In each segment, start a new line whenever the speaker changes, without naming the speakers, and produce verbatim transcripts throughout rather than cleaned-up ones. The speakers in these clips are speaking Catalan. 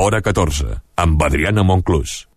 Hora catorze, amb Adriana Monclús.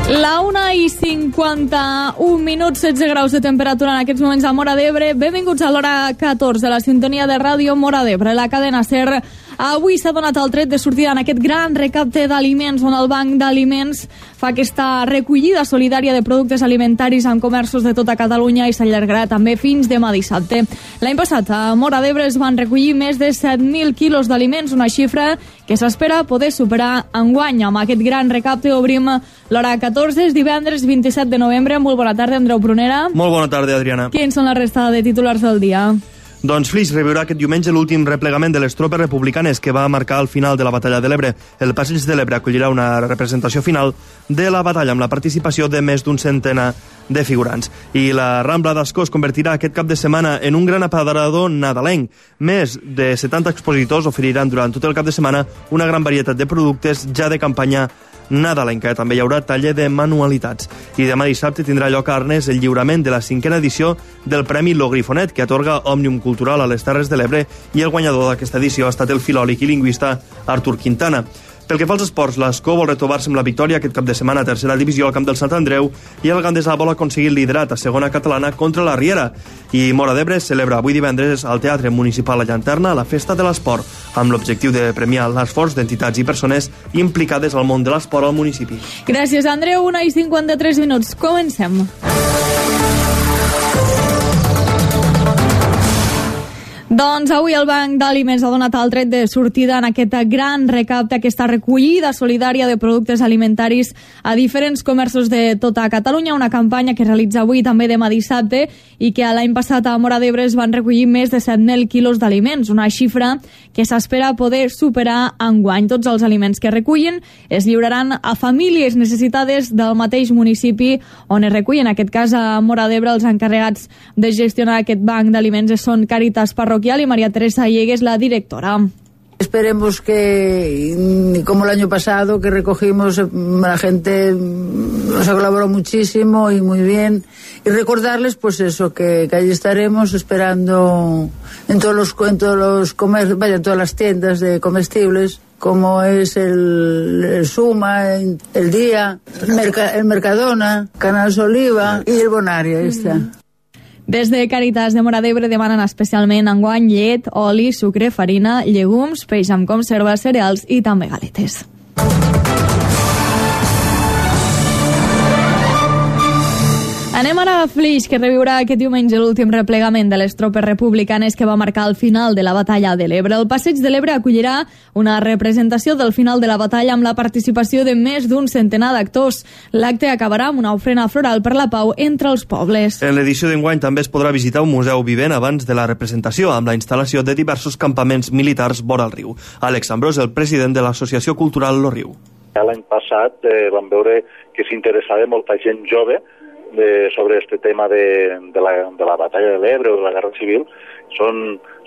La una i cinquanta-un minuts, setze graus de temperatura en aquests moments a Móra d'Ebre. Benvinguts a l'Hora catorze, la sintonia de ràdio Móra d'Ebre, la cadena SER. Avui s'ha donat el tret de sortida en aquest gran recapte d'aliments, on el Banc d'Aliments fa aquesta recollida solidària de productes alimentaris en comerços de tota Catalunya i s'allargarà també fins demà dissabte. L'any passat a Móra d'Ebre es van recollir més de set mil quilos d'aliments, una xifra que s'espera poder superar enguany. Amb aquest gran recapte obrim l'Hora catorze, és divendres vint-i-set de novembre. Molt bona tarda, Andreu Prunera.
Molt bona tarda, Adriana.
Quins són la resta de titulars del dia?
Doncs Flix reviurà aquest diumenge l'últim replegament de les tropes republicanes que va marcar el final de la batalla de l'Ebre. El Passeig de l'Ebre acollirà una representació final de la batalla amb la participació de més d'un centenar de figurants. I la Rambla d'Ascó es convertirà aquest cap de setmana en un gran aparador nadalenc. Més de setanta expositors oferiran durant tot el cap de setmana una gran varietat de productes ja de campanya nadalenca. També hi haurà taller de manualitats. I demà dissabte tindrà lloc a Arnes el lliurament de la cinquena edició del Premi Lo Grifonet, que atorga Òmnium Cultural a les Terres de l'Ebre, i el guanyador d'aquesta edició ha estat el filòleg i lingüista Artur Quintana. Pel que fa als esports, l'Escó vol retrobar-se amb la victòria aquest cap de setmana a tercera divisió al camp del Sant Andreu, i el Gandesa vol aconseguir el liderat a segona catalana contra la Riera. I Móra d'Ebre celebra avui divendres al Teatre Municipal La Llanterna la Festa de l'Esport, amb l'objectiu de premiar l'esforç d'entitats i persones implicades al món de l'esport al municipi.
Gràcies, Andreu. Una i cinquanta-tres minuts. Comencem. Doncs avui el Banc d'Aliments ha donat el tret de sortida en aquest gran recapte, aquesta recollida solidària de productes alimentaris a diferents comerços de tota Catalunya, una campanya que realitza avui també demà dissabte i que l'any passat a Móra d'Ebre es van recollir més de set mil quilos d'aliments, una xifra que s'espera poder superar enguany. Tots els aliments que recullen es lliuraran a famílies necessitades del mateix municipi on es recullen. En aquest cas a Móra d'Ebre els encarregats de gestionar aquest banc d'aliments són Càritas Parroquial y María Teresa Llegues, la directora.
Esperemos que, como el año pasado, que recogimos, la gente nos ha colaborado muchísimo y muy bien. Y recordarles, pues eso, que, que allí estaremos esperando en todos los, en todos los comer, vaya, en todas las tiendas de comestibles, como es el, el Suma, el Día, el, Merca, el Mercadona, Canals Oliva y el Bonaria, ahí está. Mm.
Des de Càritas de Móra d'Ebre demanen especialment enguany llet, oli, sucre, farina, llegums, peix amb conserva, cereals i també galetes. Anem ara a Flix, que reviurà aquest diumenge l'últim replegament de les tropes republicanes que va marcar el final de la batalla de l'Ebre. El Passeig de l'Ebre acollirà una representació del final de la batalla amb la participació de més d'un centenar d'actors. L'acte acabarà amb una ofrena floral per la pau entre els pobles.
En l'edició d'enguany també es podrà visitar un museu vivent abans de la representació, amb la instal·lació de diversos campaments militars vora el riu. Àlex Ambrós, el president de l'Associació Cultural Lo Riu.
L'any passat eh, vam veure que s'interessava molta gent jove De, sobre este tema de, de, la, de la batalla de l'Ebre o de la Guerra Civil. Són,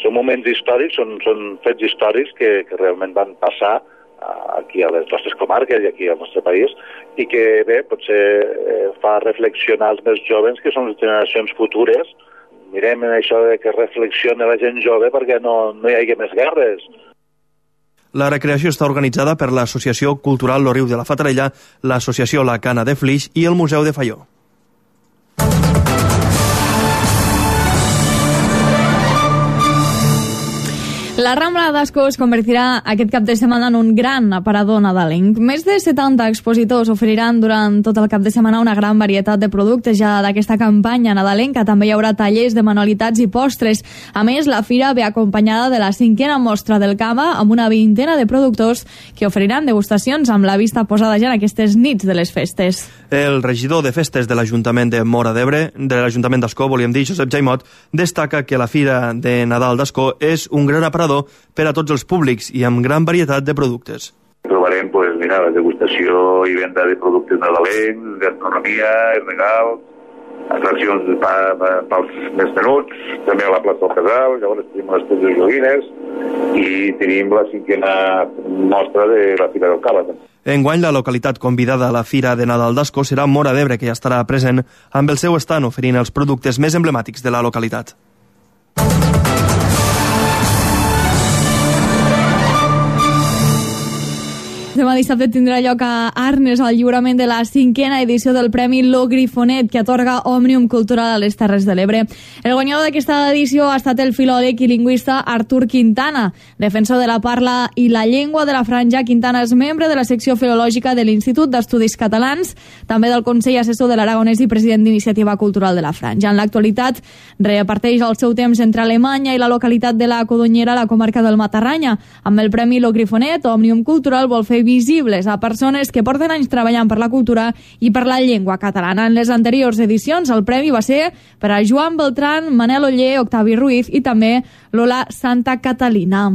són moments històrics, són, són fets històrics que, que realment van passar aquí a les nostres comarques i aquí al nostre país, i que bé, potser eh, fa reflexionar els més joves, que són les generacions futures. Mirem en això de que reflexione la gent jove perquè no, no hi hagi més guerres.
La recreació està organitzada per l'Associació Cultural Lo Riu de la Fatarella, l'Associació La Cana de Flix i el Museu de Faió.
La Rambla d'Ascó es convertirà aquest cap de setmana en un gran aparador nadalenc. Més de setanta expositors oferiran durant tot el cap de setmana una gran varietat de productes ja d'aquesta campanya nadalenca. També hi haurà tallers de manualitats i postres. A més, la fira ve acompanyada de la cinquena mostra del cava amb una vintena de productors que oferiran degustacions amb la vista posada ja en aquestes nits de les festes.
El regidor de festes de l'Ajuntament de Móra d'Ebre, de l'Ajuntament d'Ascó, volíem dir, Josep Jaimot, destaca que la Fira de Nadal d'Ascó és un gran aparador per a tots els públics i amb gran varietat de productes.
Trobarem, pues, mira, la degustació i venda de productes nadalencs, gastronomia, regals, atraccions pa, pa, pels més menuts, també a la plaça del Casal, llavors tenim les teves joguines i tenim la cinquena mostra de la Fira del Cava.
Enguany, la localitat convidada a la Fira de Nadal d'Ascó serà Móra d'Ebre, que ja estarà present amb el seu estand oferint els productes més emblemàtics de la localitat.
Demà dissabte tindrà lloc a Arnes el lliurament de la cinquena edició del Premi Lo Grifonet, que atorga Òmnium Cultural a les Terres de l'Ebre. El guanyador d'aquesta edició ha estat el filòleg i lingüista Artur Quintana, defensor de la parla i la llengua de la Franja. Quintana és membre de la secció filològica de l'Institut d'Estudis Catalans, també del Consell Assessor de l'Aragonès i president d'Iniciativa Cultural de la Franja. En l'actualitat, reparteix el seu temps entre Alemanya i la localitat de la Codonyera, a la comarca del Matarranya. Amb el Premi Lo Grifonet, Òmnium Cultural vol fer visibles a persones que porten anys treballant per la cultura i per la llengua catalana. En les anteriors edicions, el premi va ser per a Joan Beltrán, Manel Oller, Octavi Ruiz i també Lola Santa Catalina.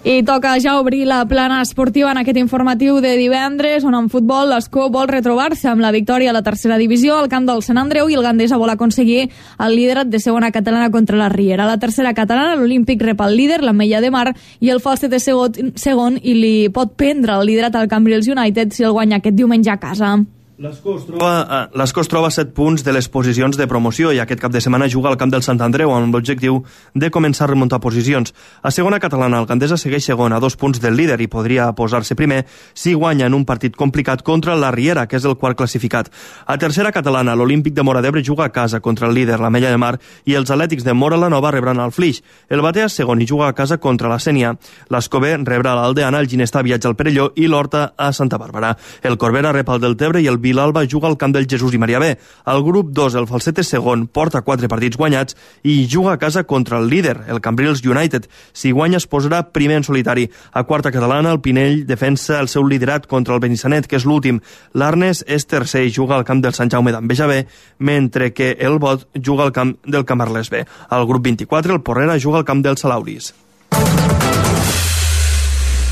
I toca ja obrir la plana esportiva en aquest informatiu de divendres, on en futbol l'Escó vol retrobar-se amb la victòria a la tercera divisió al camp del Sant Andreu i el Gandesa vol aconseguir el liderat de segona catalana contra la Riera. A la tercera catalana, l'Olímpic rep el líder, l'Ametlla de Mar, i el Falset és segon i li pot prendre el liderat al Cambrils United si el guanya aquest diumenge a casa.
L'Escó es troba, l'Escó es troba a set punts de les posicions de promoció i aquest cap de setmana juga al camp del Sant Andreu amb l'objectiu de començar a remuntar posicions. A segona catalana, el Gandesa segueix segon a dos punts del líder i podria posar-se primer si guanya en un partit complicat contra la Riera, que és el quart classificat. A tercera catalana, l'Olímpic de Móra d'Ebre juga a casa contra el líder, l'Ametlla de Mar, i els Atlètics de Móra la Nova rebran el Flix. El Batea és segon i juga a casa contra la Sénia. L'Escó B rebrà l'Aldeana, el Ginestar viatja al Perelló i l'Horta a Santa Bàrbara. El Corbera rep el Deltebre i el Vilalba juga al camp del Jesús i Maria B. Al grup dos, el Falset és segon, porta quatre partits guanyats i juga a casa contra el líder, el Cambrils United. Si guanya es posarà primer en solitari. A quarta catalana, el Pinell defensa el seu liderat contra el Benissanet, que és l'últim. L'Arnes és tercer i juga al camp del Sant Jaume d'Enveja B, mentre que el Bot juga al camp del Camarles B. Al grup vint-i-quatre, el Porrera juga al camp del Salauris.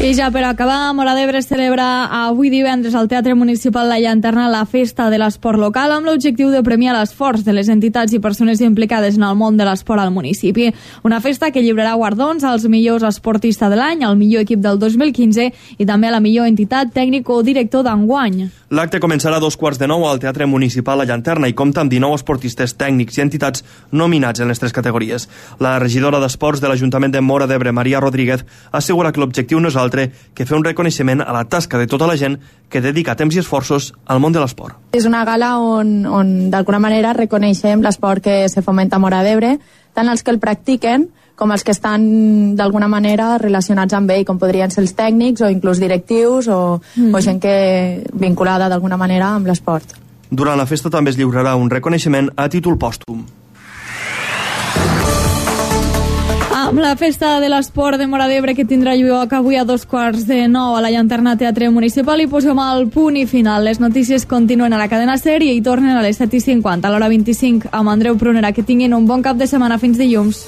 I ja per acabar, Móra d'Ebre celebra avui divendres al Teatre Municipal La Llanterna la Festa de l'Esport Local amb l'objectiu de premiar l'esforç de les entitats i persones implicades en el món de l'esport al municipi. Una festa que lliurarà guardons als millors esportistes de l'any, al millor equip del dos mil quinze i també a la millor entitat tècnic o director d'enguany.
L'acte començarà a dos quarts de nou al Teatre Municipal La Llanterna i compta amb dinou esportistes tècnics i entitats nominats en les tres categories. La regidora d'Esports de l'Ajuntament de Móra d'Ebre, Maria Rodríguez, assegura que l'objectiu no és altre que fer un reconeixement a la tasca de tota la gent que dedica temps i esforços al món de l'esport.
És una gala on, on d'alguna manera reconeixem l'esport que se fomenta a Móra d'Ebre, tant els que el practiquen com els que estan d'alguna manera relacionats amb ell, com podrien ser els tècnics o inclús directius o, mm. o gent que vinculada d'alguna manera amb l'esport.
Durant la festa també es lliurarà un reconeixement a títol pòstum.
Amb la Festa de l'Esport de Móra d'Ebre que tindrà lloc avui a dos quarts de nou a la Llanterna Teatre Municipal i posem el punt i final. Les notícies continuen a la cadena SER i hi tornen a les set i cinquanta, a l'hora vint-i-cinc amb Andreu Prunera. Que tinguin un bon cap de setmana. Fins dilluns.